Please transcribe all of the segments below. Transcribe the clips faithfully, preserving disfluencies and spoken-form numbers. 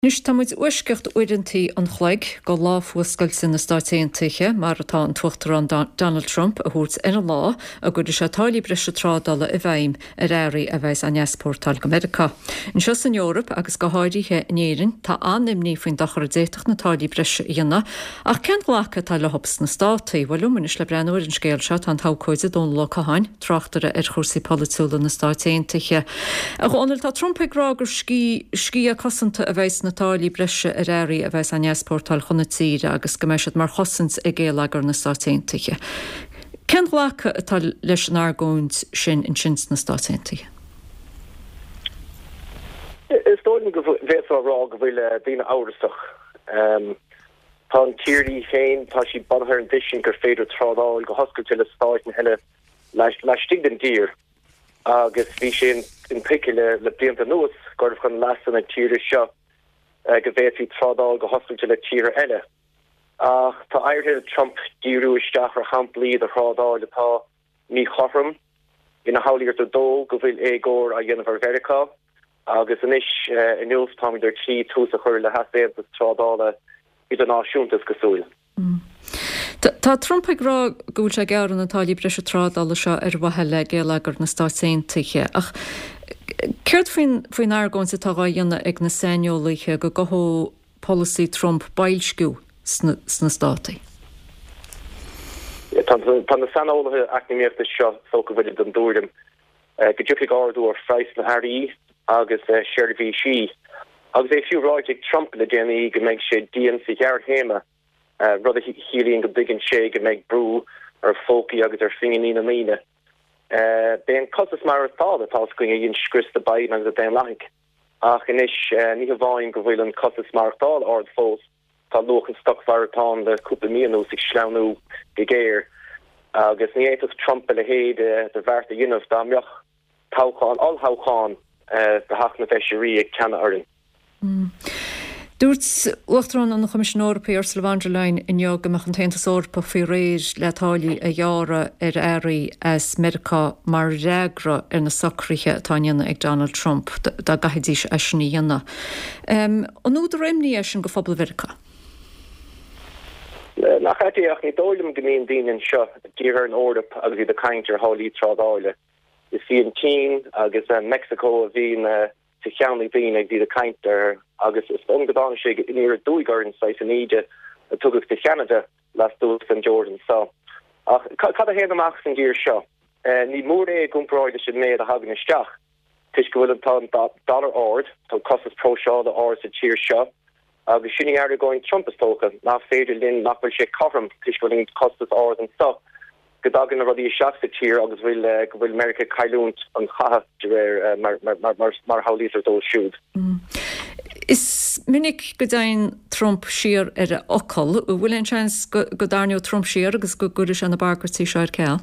Anois tá muid uaisceacht uaireantaí an chloig go lá fuascailte na Stáit Aontaithe, mar atá an tUachtarán Donald Trump a thabhairt ar an lá a gcuirfidh sé táillí breise trádála i bhfeidhm ar earraí a bheas á n-easpórtáil go Meiriceá. Anseo san Eoraip agus go háirithe in Éirinn tá an-imní faoin dochar a d'fhéadfadh na táillí breise a dhéanamh, ach cén glacadh atá leo sna Státaí? Bhuel liom anois le breathnú ar an scéal seo tá an t-abhcóide Dónal Ó Catháin, tráchtaire ar chúrsaí polaitiúla na Stáit Aontaithe. A Dhónaill, tá Trump ag rá gur sciath cosanta a bheidh sna táillí breise ar earraí a bheas á n-easpórtáil chun na tíre agus go mbeidh siad mar chosaint ag géilleagar na Stáit Aontaithe. Cén glacadh atá leis an argóint sin ansin sna Stáit Aontaithe? Is dóigh liom go bhféadfá a rá go bhfuil daoine amhrasach. Tá an tír í féin, tá sí bunaithe ar an dtuiscint gur féidir trádáil go hoscailte le stáit eile laistigh den dtír agus bhí sé intuigthe le blianta anuas gurbh chun leasa na tíre seo go bhféadfaí trádáil go hoscailte le tíortha eile. Ach tá éirithe le Trump díriú isteach ar shamplaí de thrádáil atá míchothrom, ina shamhlaítear dó go bhfuil éagóir á dhéanamh ar Mheiriceá, agus anois inniu táimid ar tí tús a chur le heasaontas trádála idirnáisiúnta is cosúil. Tá Trump ag rá go bhfuil sé ag gearradh na táillí breise trádála seo ar mhaithe le géilleagar na Stáit Aontaithe, ach céard faoin faoin argóint atá á dhéanamh ag na saineolaithe go gcothódh polasaí Trump boilsciú sna sna Státaí? Tá na saineolaithe eacnamaíochta seo is dócha go bhfuil den tuairim go dtiocfaidh ardú ar phraghas na n-earraí agus seirbhísí, agus é fiú ráite ag Trump le déanaí go mbeidh sé dian sa ghearrthéarma, rud a chiallaíonn go dtuigeann sé go mbeidh brú ar phócaí agus ar phinginí na ndaoine. B'é an costas maireachtála atá againn a dhein scrios do Biden agus na Daonlathaigh. Ach anois, ní hamháin go bhfuil an costas maireachtála ard fós, tá luach an stocmhargaidh le cúpla mí anuas ag sleamhnú go géar. Agus ní fhéadfadh Trump a leithéid de bheart a dhéanamh dá mbeadh toghchán, olltoghchán do Theach na bhFeisirí ag teannadh orainn. Dúirt Uachtarán an Choimisiúin Eorpaigh Ursula von der Leyen inniu go mbeadh an tAontas Eorpach faoi réir le táillí a ghearradh ar earraí as Meiriceá mar fhreagra ar na socruithe atá á ndéanamh ag Donald Trump dá gcaithfidís é sin a dhéanamh. An údar imní é sin go phobal Mheiriceá? Nach ait é ach ní dóigh liom go mbíonn daoine anseo dírithe ar an Eoraip agus iad ag caint ar tháillí trádála. Is í an tSín agus Meicsiceo a bhíonn sa cheann ag daoine agus iad ag caint air agus is dóigh liom go dtáinig sé aniar aduaidh orainn, saghas an íde a tugadh do Cheanada lastuas den dteorainn so. Ach cad a théann amach as an dtír seo? Ní mór é i gcomparáid leis an méid a thagann isteach, toisc go bhfuil an tá an dollar ard, tá costas próiseála ard sa tír seo agus sin í argóint Trump is dócha, nach féidir linn, nach bhfuil sé cothrom toisc go bhfuil an costas ard anso. go dtagann na rudaí isteach sa tír agus bhfuil go bhfuil Meiriceá ag cailliúint an chatha de réir mar mar a shamhlaítear dóibh siúd. Is minic go dtéann Trump siar ar a fhocal. An bhfuil aon seans go dtarraingeodh Trump siar agus go gcuirfidh sé na bagairtí seo ar ceal?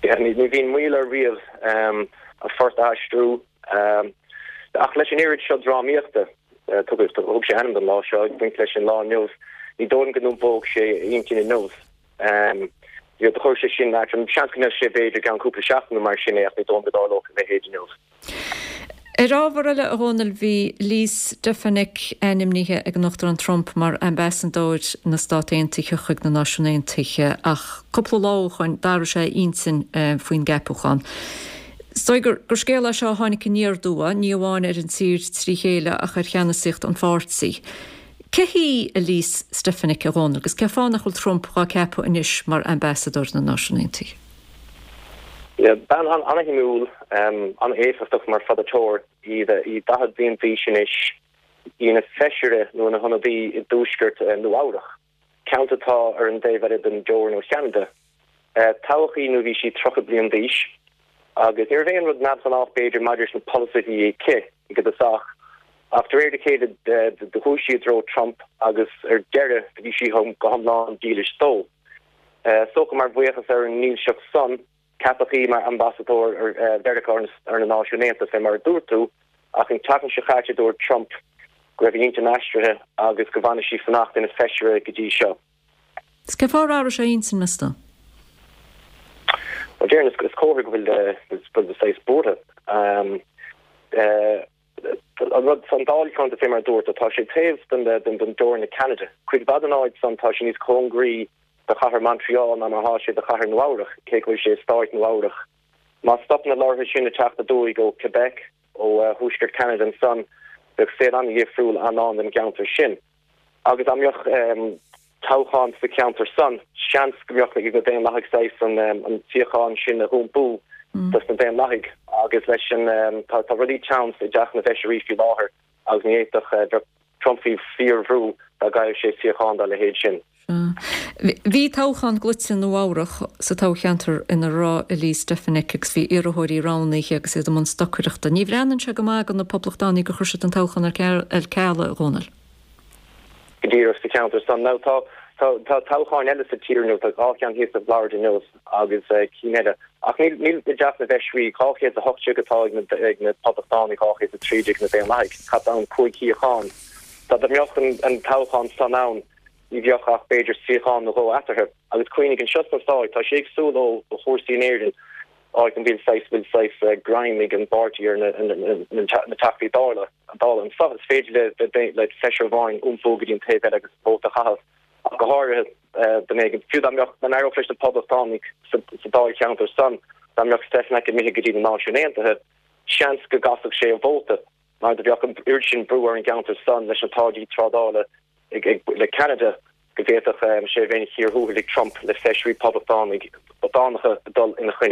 Ní bhíonn moill air riamh a phort a aistriú. Ach leis an oiread seo drámaíochta, thug sé ainm don lá seo, ag baint leis an lá inniu, ní dóigh liom go n-iompódh sé a intinn inniu. Do chuir sé sin leat. Seans go ndéanfadh sé b'fhéidir i gceann cúpla seachtain nó mar sin é ach ní dóigh liom go dtarlódh a leithéid inniu. Ar ábhar eile, a Dhónaill, bhí Elise Stefanik ainmnithe ag an Uachtarán Trump mar ambasadóir na Stát Aontaithe chuig na Náisiúin Aontaithe ach cúpla lá ó shoin d'athraigh sé a intinn faoin gceapachán. Is dóigh gur scéal é seo a tháinig aniar aduaidh, ní amháin ar an tír trí chéile ach ar cheannasaíocht an pháirtí. Cé hí Elise Stefanik, a Dhónaill, agus cén fáth nach bhfuil Trump dhá ceapadh anois mar ambasadóir na Náisiún Aontaithe? Bean an-shuimiúil, an-éifeachtach mar pholaiteoir í, í daichead bliain d'aois anois, í ina feisire nó ina hionadaí i dtuaisceart Nua-Eabhrac, ceantar atá ar an dtaobh eile den dteorainn ó Cheanada. Toghadh í nuair a bhí sí tríocha bliain d'aois agus ní raibh aon rud neamhghnách b'fhéidir maidir leis na polasaithe a bhí aici i dtosach ach de réir a chéile do chuaigh sí i dtreo Trump agus ar deireadh do bhí sí go hiomlán dílis dó. Is dócha mar bhuíochas ar an ndílseacht san, ceapadh í mar ambasadóir ar Mheiriceá ar na Náisiúin Aontaithe fé mar a dúirt tú ach an tseachtain seo chaite dúirt Trump go raibh a intinn aistrithe agus go bhfanadh sí fanacht ina feisire go dtí seo. Is cén fáth ar athraigh sé a intinn, meas tú? Bhuel, déarfainn is comhartha go bhfuil saghas buartha. An rud san dáilcheantar fé mar dúirt tá sé taobh den den den dteorainn le Ceanada. Cuid mhaith den áit san tá sé níos cóngaraí do chathair Montreal ná mar atá sé do chathair Nua Eabhrach, cé go bhfuil sé i stáit Nua Eabhrach. Má stop na lorraithe sin ag teacht aduaidh ó Quebec, ó thuaisceart Ceanada ansan, bheadh saol an-dhifriúil ann don gceantar sin. Agus dá mbeadh toghchán sa cheantar san, seans go mbeadh ag na Daonlathaigh saghas an an suíochán sin a iompú dos na Daonlathaigh agus leis an tá tá rudaí teann i dTeach na bhFeisirí faoi láthair agus ní fhéadfadh bheadh Trump faoi fíorbhrú dá gcaillfeadh sé suíochán dá leithéid sin. Bhí toghchán glaoite i Nua Eabhrach sa toghcheantar ina raibh Elise Stefanik agus bhí iarrthóirí roghnaithe agus iad i mbun stocaireachta. Ní bhreathnaíonn sé go maith do na Poblachtánaigh gur chuir siad an toghchán ar ceal, a Dhónaill. Go díreach sa cheantar san. Now tá tá tá toghcháin eile sa tír inniu, tá dhá cheann thíos i bhFlorida inniu agus cinn eile. Ach níl níl i dTeach na bhFeisirí dhá chéad a hocht déag atá ag na ag na Poblachtánaigh, dhá chéad a trí déag na Daonlathaigh. Caithfidh ann cúig shuíochán. Dá mbeadh an an toghchán san ann, ní bheadh ach b'fhéidir suíochán nó dhó eatarthu. Agus cuimhnigh anseo sna Stáit, tá sé éagsúil ó chúrsaí in Éirinn, áit an bhfuil saghas bhfuil saghas greim ag an bpáirtí ar na na Teachtaí Dála. Dála anseo is féidir le le feisire amháin iompú go dtí an taobh eile agus vóta a chaitheamh. Ach go háirithe dá mbeadh fiú dá mbeadh dá n-éireodh leis na Poblachtánaigh sa sa dáilcheantar san, dá mbeadh Stefanik imithe go dtí na Náisiúin Aontaithe, seans go gcasfadh sé a vóta mar do bheadh an oiread sin brú ar an gceantar san leis na táillí trádála ag ag le Ceanada go bhféadfadh sé bheith ina chíor thuathail ag Trump le feisirí poblachtánaigh poblachtánacha dul ina choinne.